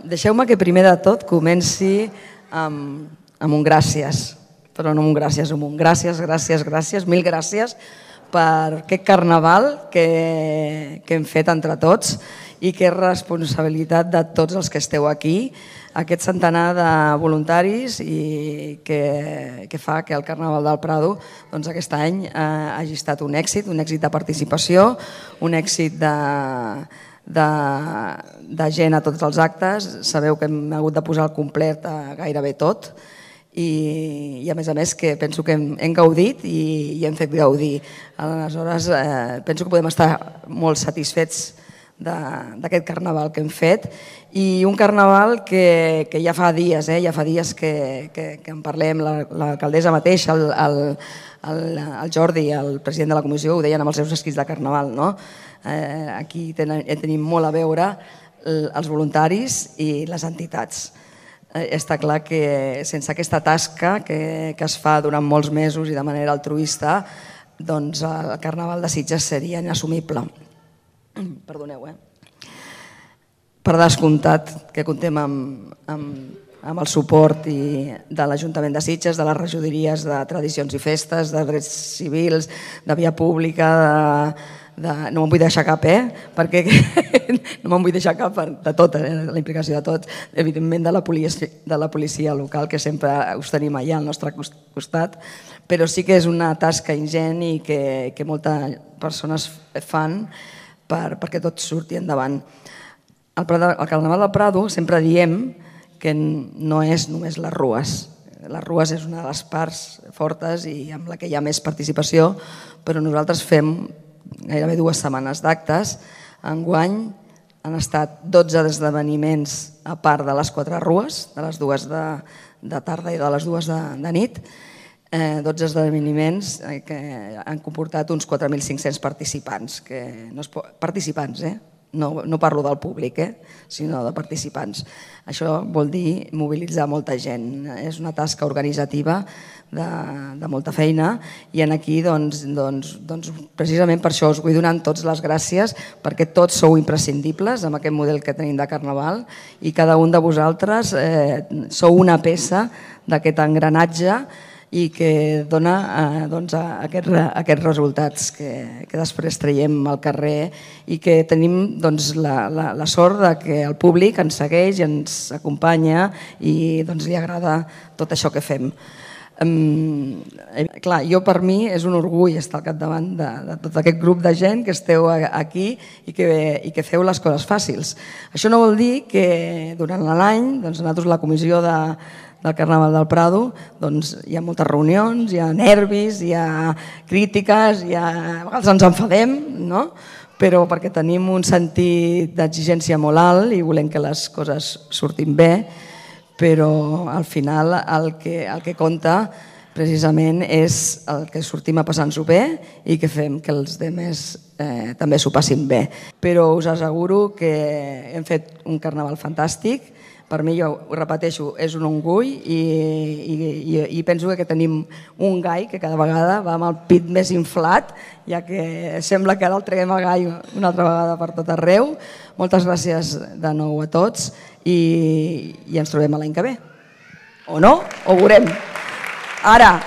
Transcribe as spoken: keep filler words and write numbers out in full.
deixeu-me que primer de tot comenci amb, amb un gràcies, però no amb un gràcies, amb un gràcies, gràcies, gràcies, mil gràcies per aquest carnaval que, que hem fet entre tots i que és responsabilitat de tots els que esteu aquí, aquest centenar de voluntaris i que, que fa que el Carnaval del Prado doncs, aquest any eh, hagi estat un èxit, un èxit de participació, un èxit de, de, de gent a tots els actes. Sabeu que hem hagut de posar al complet a gairebé tot i, i a més a més que penso que hem, hem gaudit i, i hem fet gaudir. Aleshores eh, penso que podem estar molt satisfets d'aquest carnaval que hem fet i un carnaval que, que ja fa dies, eh, ja fa dies que, que, que en parlem, l'alcaldessa mateixa, el, el, el, el Jordi, el president de la comissió, ho deien amb els seus escrits de carnaval, no? Eh, aquí tenen, tenim molt a veure els voluntaris i les entitats. Eh, està clar que sense aquesta tasca que, que es fa durant molts mesos i de manera altruista, doncs el carnaval de Sitges seria inassumible. Perdoneu, eh? Per descomptat que comptem amb, amb, amb el suport i de l'Ajuntament de Sitges, de les regidories de Tradicions i Festes, de Drets Civils, de Via Pública, de, de, no me'n vull deixar cap, eh? Perquè no me'n vull deixar cap de tot, eh? La implicació de tot, evidentment de la, policia, de la policia local, que sempre us tenim allà al nostre costat, però sí que és una tasca ingent i que, que moltes persones fan Per, perquè tot surti endavant. El, el Carnaval del Prado sempre diem que no és només les rues. Les rues és una de les parts fortes i amb la que hi ha més participació, però nosaltres fem gairebé dues setmanes d'actes. Enguany han estat dotze esdeveniments a part de les quatre rues, de les dues de, de tarda i de les dues de, de nit, Eh, dotze esdeveniments que han comportat uns quatre mil cinc-cents participants. Que no es pot... Participants, eh? No, no parlo del públic, eh? Sinó de participants. Això vol dir mobilitzar molta gent. És una tasca organitzativa de, de molta feina i en aquí doncs, doncs, doncs, precisament per això us vull donar totes les gràcies perquè tots sou imprescindibles amb aquest model que tenim de Carnaval i cada un de vosaltres eh, sou una peça d'aquest engranatge i que dona eh, doncs, aquests, aquests resultats que, que després traiem al carrer i que tenim doncs, la, la, la sort de que el públic ens segueix i ens acompanya i doncs, li agrada tot això que fem. Um, clar, jo per mi és un orgull estar al capdavant de, de tot aquest grup de gent que esteu aquí i que, i que feu les coses fàcils. Això no vol dir que durant l'any doncs, nosaltres la comissió de del Carnaval del Prado, doncs hi ha moltes reunions, hi ha nervis, hi ha crítiques, hi ha... a vegades ens enfadem, no? Però perquè tenim un sentit d'exigència molt alt i volem que les coses surtin bé, però al final el que, el que compta precisament és el que sortim a passar-nos-ho bé i que fem que els altres eh, també s'ho passin bé. Però us asseguro que hem fet un carnaval fantàstic. Per mi, jo ho repeteixo, és un orgull i, i, i penso que tenim un gai que cada vegada va amb el pit més inflat, ja que sembla que ara el traguem el gai una altra vegada per tot arreu. Moltes gràcies de nou a tots i, i ens trobem l'any que ve. O no? Ho veurem. Ara...